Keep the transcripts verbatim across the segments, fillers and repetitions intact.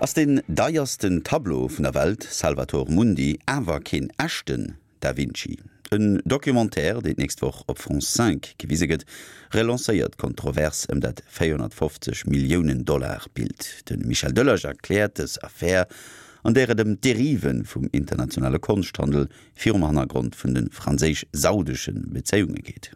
Ass den deiersten Tableau vun der Welt, Salvator Mundi, awer keen echten Da Vinci? En Documentaire, deen d'nächst Woch op France cinq gewise gëtt, relancéiert d'Kontrovers ëm dat véierhonnertfofzeg Milliounen Dollar Bild. De Michel Delage erkläert dës Affär, an där et ëm d'Derive vum internationale Konschthandel virum Hannergrond vun de franséisch-saudesche Bezéiunge geet.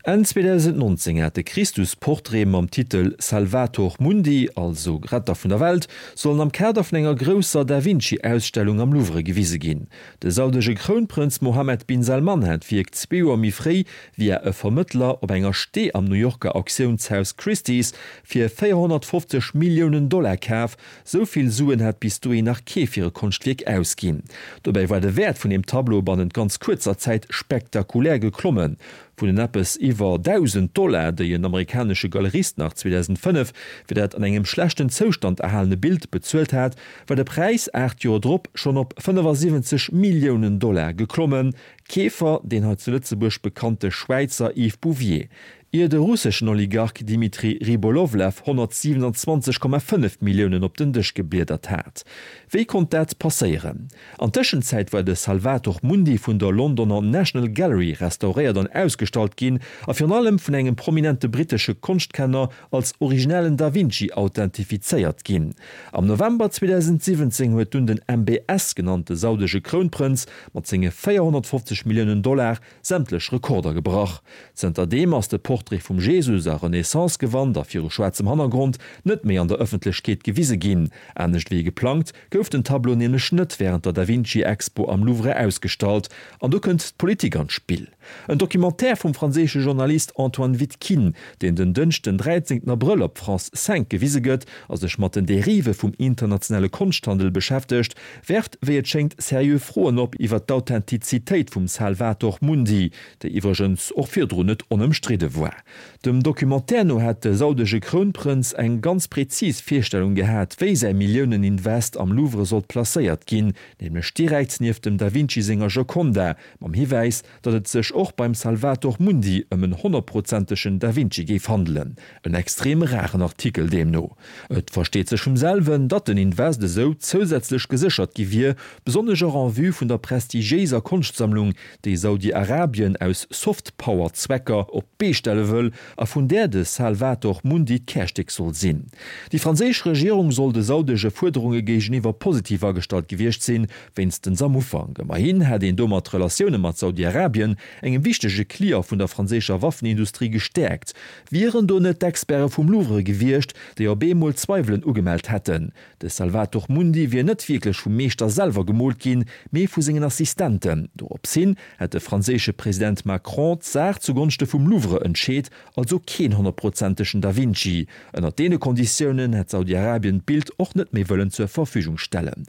Enn zweedausendnonzéng hat de Christus-Portrait mam Titel Salvator Mundi, also Retter vun der Welt, sollen am Kader vun enger grousser Da Vinci-Ausstellung am Louvre gewise ginn. De saudesche Krounprënz Mohammed bin Salman hat d'Wierk zwee Joer méi fréi via e Vermëttler op enger Stee am New Yorker Auktiounshaus Christie's fir véierhonnertfofzeg Milliounen Dollar kaf. Sou vill Suen hat bis dohi nach kee fir e Konschtwierk ausginn. Dobäi war de Wäert vun deem Tableau bannent ganz kuerzer Zäit spektakulär geklommen. Vun den eppes iwwer dausend Dollar, déi en amerikanesche Galerist nach zweedausendfënnef fir dat an engem schlechten Zoustand erhalene Bild bezuelt hat, war de Präis aacht Joer drop schonn op fënnefasiwwenzeg Milliounen Dollar geklommen. Keefer, deen hei zu Lëtzebuerg bekannte Schwäizer Yves Bouvier, ier de russeschen Oligarch Dmitri Rybolovlev honnertsiwenanzwanzeg Komma fënnef Milliounen op den Dësch gebliedert hat. Wéi konnt dat passéieren? An Tëschenzäit war de Salvator Mundi vun der Londoner National Gallery restauréiert an ausgestallt ginn a virun allem vun engem prominente brittesche Konschtkenner als originellen Da Vinci authentifizéiert ginn. Am November zweedausendsiwwenzéng huet dunn den M B S genannte saudesche Krounprënz mat senge véierhonnertfofzeg Milliounen Dollar sämtlech Rekorder gebrach. Zënter deem ass de Portrait vum Jesus a Renaissance-Gewand a viru schwaarzem Hannergrond net méi an der Ëffentlechkeet gewise ginn. Anescht wéi geplangt, gouf den Tableau nämlech net wärend der Da Vinci-Expo am Louvre ausgestallt. An do kënnt d'Politik an d'Spill. En Documentaire vum franséische Journalist Antoine Vitkine, deen den Dënschden dräizéngten Abrëll op France cinq gewise gëtt a sech mat den Derive vum internationale Konschthandel beschäftegt, werft wéi et schéngt seriö Froen op iwwer d'Authentizitéit vum Salvator Mundi, déi iwwregens och virdrun net onëmstridde war. Dem Documentaire no hätt de saudesche Krounprënz eng ganz prezis Virstellung gehat, wéi säi Milliouneninvest am Louvre sollt placéiert ginn, nämlech direkt nieft dem Da Vinci senger Gioconda, mam Hiwäis, datt et sech och beim Salvator Mundi ëm en honnertprozentegen Da Vinci géif handelen, en extrem raren Artikel deemno. Et versteet sech vum selwen, datt den Invest esou zousätzlech geséchert gi wier, besonnesch och en vue vun der prestigiéiser Konschtsammlung, déi Saudi-Arabien aus Soft-Power-Zwecker op d'Bee stelle wëll a vun där de Salvator Mundi d'Kärstéck soll sinn. Déi franséisch Regierung soll de saudesche Fuerderunge géigeniwwer positiv agestallt gewiescht sinn, wéinstens am Ufank. Ëmmerhin hätt een domat d'Relatioune mat Saudi-Arabien, engem wichtege Client vun der franséischer Waffenindustrie, gestäerkt. Wieren do net d'Experte vum Louvre gewiescht, déi op eemol Zweiwelen ugemellt hätten, de Salvator Mundi wier net wierklech vum Meeschter selwer gemoolt ginn, mee vu sengen Assistenten. Dorops hin hätt de franséische President Macron d'Saach zugonschte vum Louvre entscheet, also keen honnertprozentegen Da Vinci. Ënnert deene Konditiounen hätt Saudi-Arabien d'Bild och net méi wëllen zur Verfügung stellen.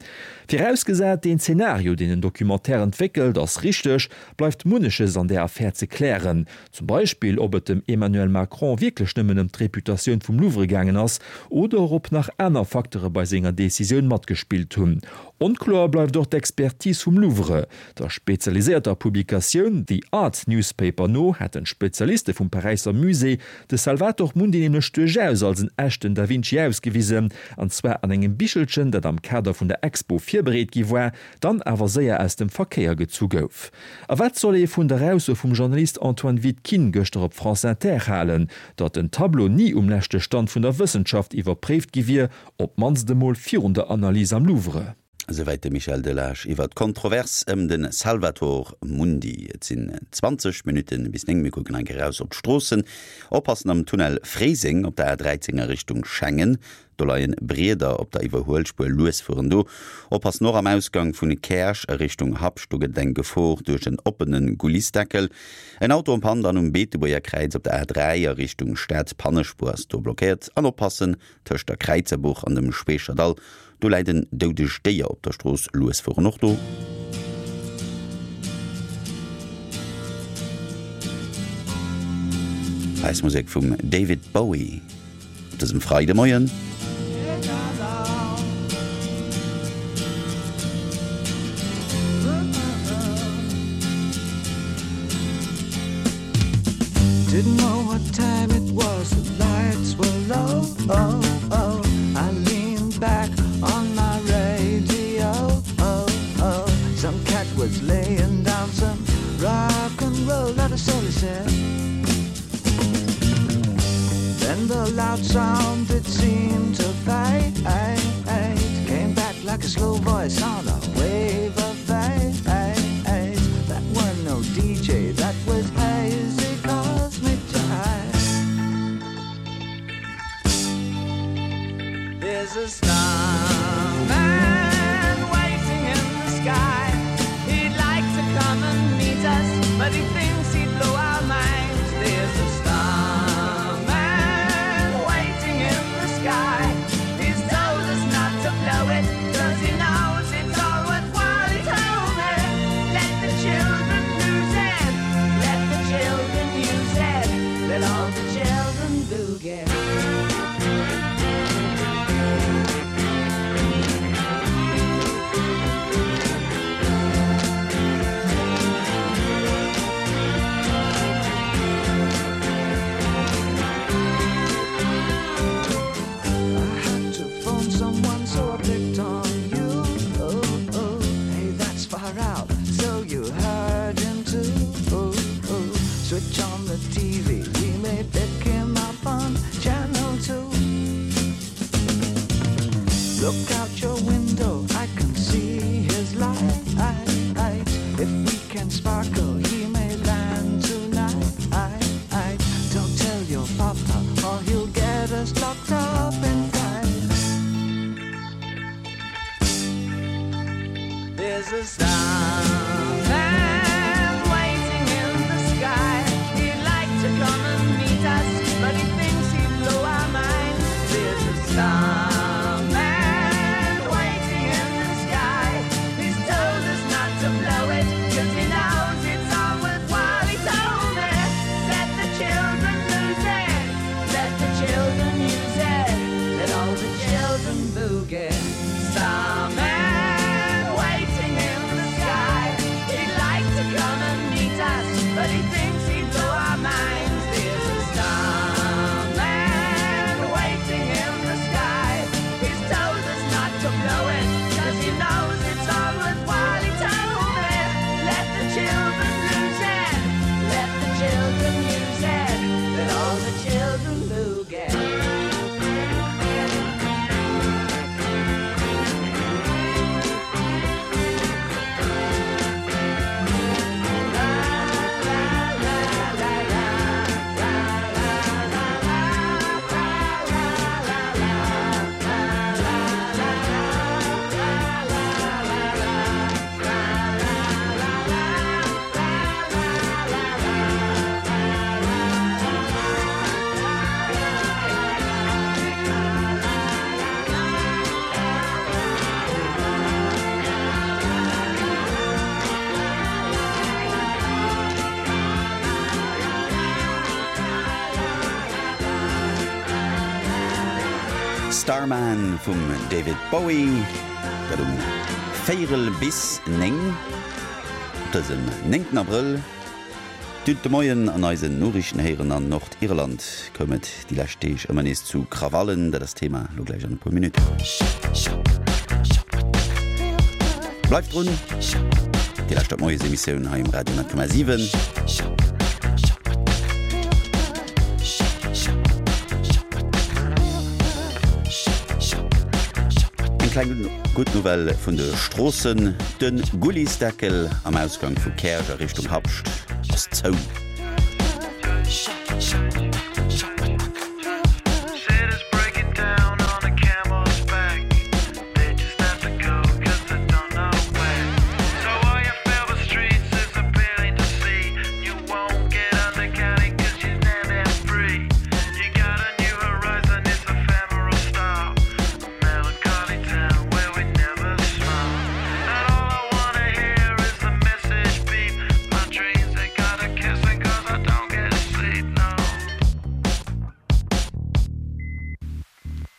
Virausgesat, deen Zenario, deen den Documentaire entwéckelt, ass richteg, bleift munneches an där Affär ze klären. Zum Beispill, ob et dem Emmanuel Macron wierklech nëmmen ëm d'Reputatioun vum Louvre gaangen ass, oder ob nach aner Facteure bei senger Decisioun matgespillt hunn. Onkloer bleift och d'Expertise vum Louvre. Der spezialiséierter Publikatioun The Art Newspaper no hätten d'Spezialiste vum Paräisser Musée de Salvator Mundi nämlech duerchaus als en echten Da Vinci ausgewisen, an zwar an engem Bichelchen, dat am Kader vun der Expo virbereet gi war, dann awer séier aus dem Verkéier gezu gouf. A wat soll ee vun der Ausso vum Journalist Antoine Vitkine gëschter op France Inter halen, datt den Tableau ni um leschte Stand vun der Wëssenschaft iwwerpréift gi wier, op d'mannst emol virun der Analys am Louvre? Esouwäit de Michel Delage iwwer d'Kontrovers ëm de Salvator Mundi. Et sinn zwanzeg Minutte bis néng. Mir kucken eng Kéier eraus op d'Stroossen. Oppassen am Tunnel Fréiseng op der A dräizéng a Richtung Schengen. Do leien Brieder op der Iwwerhuelspuer. Lues fueren do. Oppassen och am Ausgang vun Käerch a Richtung Habscht. Do gëtt et eng Gefor duerch en oppene Gullisdeckel. En Auto en panne dann um Beetebuerger Kräiz op der A dräi a Richtung Stad. D'Pannespuer ass do blockéiert. An oppassen tëscht der Kräizerbuch an dem Schweecherdall. Do läit en doudegt Déier op der Strooss. Lues fueren och do. Eis Musek vum David Bowie op dësem Freidemoien. Didn't know what time it was, the lights were low, oh, oh. I leaned back on Then the loud sound it seemed to fade Came back like a slow voice on a wave of fate That were no D J, that was hazy cosmic jive There's a starman waiting in the sky He'd like to come and meet us, but he thinks he'd blow our minds There's a starman waiting in the sky He's told us not to blow it, 'cause he knows it's all worthwhile He told me, let the children lose it, let the children use it, let all the children boogie. Switch on the T V, we may pick him up on channel two. Look out your window, I can see his light. If we can sparkle, he may land tonight. Don't tell your papa, or he'll get us locked up in time. There's a starman waiting in the sky. He'd like to come and meet us, but he thinks he'd blow our minds. There's a starman waiting in the sky. He's told us not to blow it, 'cause he knows it's all worthwhile. He told me, let the children lose it, let the children use it, let all the children boogie. Starman waiting in the sky. He'd like to come and meet us, but he thinks he'd blow our minds. There's a starman waiting in the sky. He's told us not to blow it, 'cause he knows it's all worthwhile. He told me, let the children lose it, let the children use it, let all the children boogie. Starman vum David Bowie, dat um véierel bis néng op dësem néngten Abrëll. Dut de Moien an eisen Noriichten héieren, an Nordirland koum et déi lescht Deeg ëmmer nees zu Krawallen. Dat ass Thema lo gläich an e puer Minutten. Bleift drun, Dir lauschtert d'Moiesemissioun hei um Radio honnert Komma siwen. Eng kleng gutt Nouvelle vun de Stroossen, De Gullisdeckel am Ausgang vu Käerch a Richtung Habscht ass zou.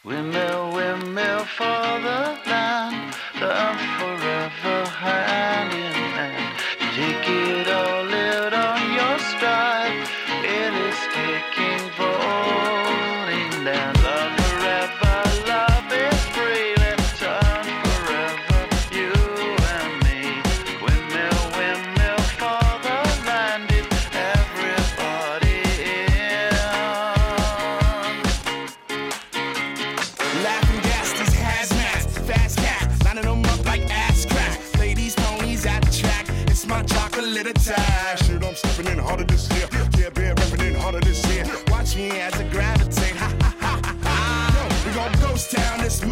Windmill, windmill for the land, turn forever hand in hand. Take it all out on your stride, it is taking falling down. Love forever, love is free, let's turn forever, you and me. Windmill, windmill for the land, it's everybody in.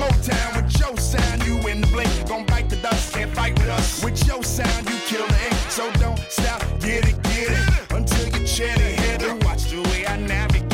Motown with your sound, you in the blink. Gon' bite the dust, can't fight with us. With your sound, you kill the ink. So don't stop, get it, get it. Until your cheddar head. Watch the way I navigate.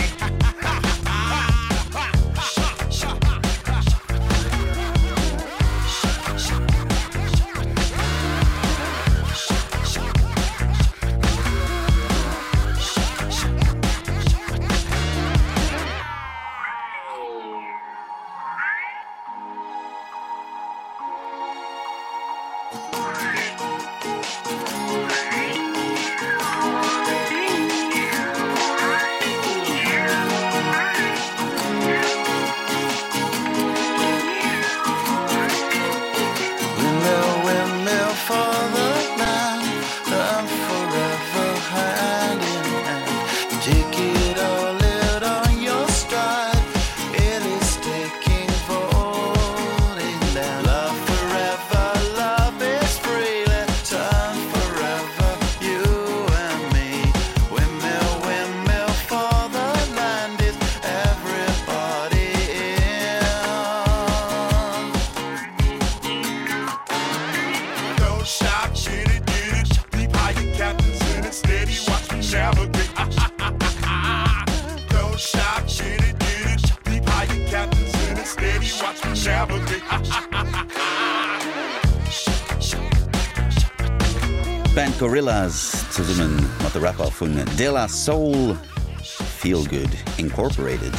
D'Band Gorillaz zesumme mat de Rapper vun De La Soul, Feel Good Incorporated.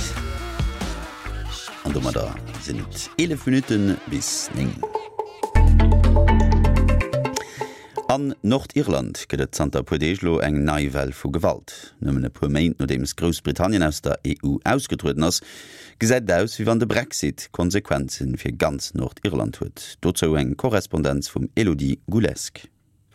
An domadder sinn et eelef Minutte bis néng. An Nordirland gëtt et zanter e puer Deeg elo eng nei Well vu Gewalt. Nëmmen e puer Méint nodeems Groussbritannien aus der E U ausgetrueden ass, gesäit et aus, wéi wann de Brexit Konsequenze fir ganz Nordirland huet. Dozou eng Korrespondenz vum Elodie Goulesque.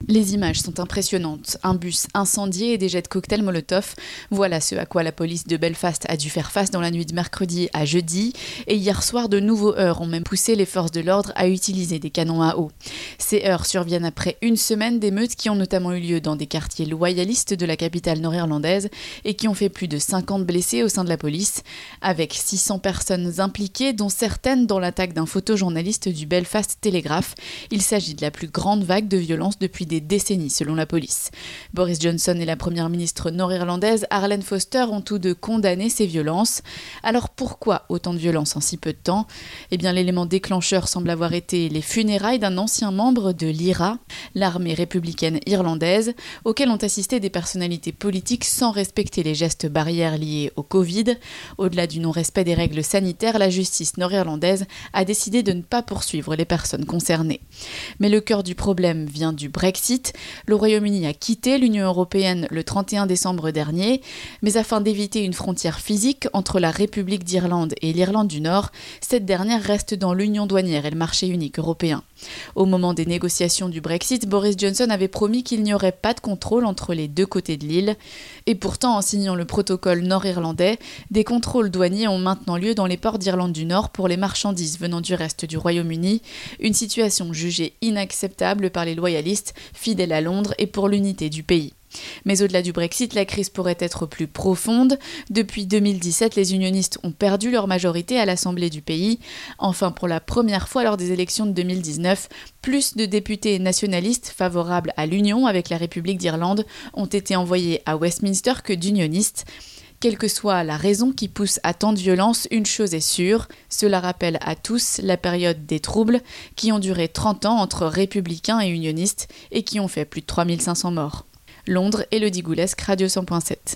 Les images sont impressionnantes. Un bus incendié et des jets de cocktails Molotov. Voilà ce à quoi la police de Belfast a dû faire face dans la nuit de mercredi à jeudi. Et hier soir, de nouveaux heurts ont même poussé les forces de l'ordre à utiliser des canons à eau. Ces heurts surviennent après une semaine d'émeutes qui ont notamment eu lieu dans des quartiers loyalistes de la capitale nord-irlandaise et qui ont fait plus de cinquante blessés au sein de la police, avec six cents personnes impliquées, dont certaines dans l'attaque d'un photojournaliste du Belfast Telegraph. Il s'agit de la plus grande vague de violence depuis des décennies, selon la police. Boris Johnson et la première ministre nord-irlandaise Arlene Foster ont tous deux condamné ces violences. Alors pourquoi autant de violences en si peu de temps ? Eh bien, l'élément déclencheur semble avoir été les funérailles d'un ancien membre de l'I R A, l'armée républicaine irlandaise, auquel ont assisté des personnalités politiques sans respecter les gestes barrières liés au Covid. Au-delà du non-respect des règles sanitaires, la justice nord-irlandaise a décidé de ne pas poursuivre les personnes concernées. Mais le cœur du problème vient du Brexit. Le Royaume-Uni a quitté l'Union européenne le trente et un décembre dernier, mais afin d'éviter une frontière physique entre la République d'Irlande et l'Irlande du Nord, cette dernière reste dans l'Union douanière et le marché unique européen. Au moment des négociations du Brexit, Boris Johnson avait promis qu'il n'y aurait pas de contrôle entre les deux côtés de l'île. Et pourtant, en signant le protocole nord-irlandais, des contrôles douaniers ont maintenant lieu dans les ports d'Irlande du Nord pour les marchandises venant du reste du Royaume-Uni, une situation jugée inacceptable par les loyalistes fidèles à Londres et pour l'unité du pays. Mais au-delà du Brexit, la crise pourrait être plus profonde. Depuis deux mille dix-sept, les unionistes ont perdu leur majorité à l'Assemblée du pays. Enfin, pour la première fois lors des élections de deux mille dix-neuf, plus de députés nationalistes favorables à l'union avec la République d'Irlande ont été envoyés à Westminster que d'unionistes. Quelle que soit la raison qui pousse à tant de violence, une chose est sûre, cela rappelle à tous la période des troubles qui ont duré trente ans entre républicains et unionistes et qui ont fait plus de trois mille cinq cents morts. Londres, Elodie Goulesque, Radio cent point sept.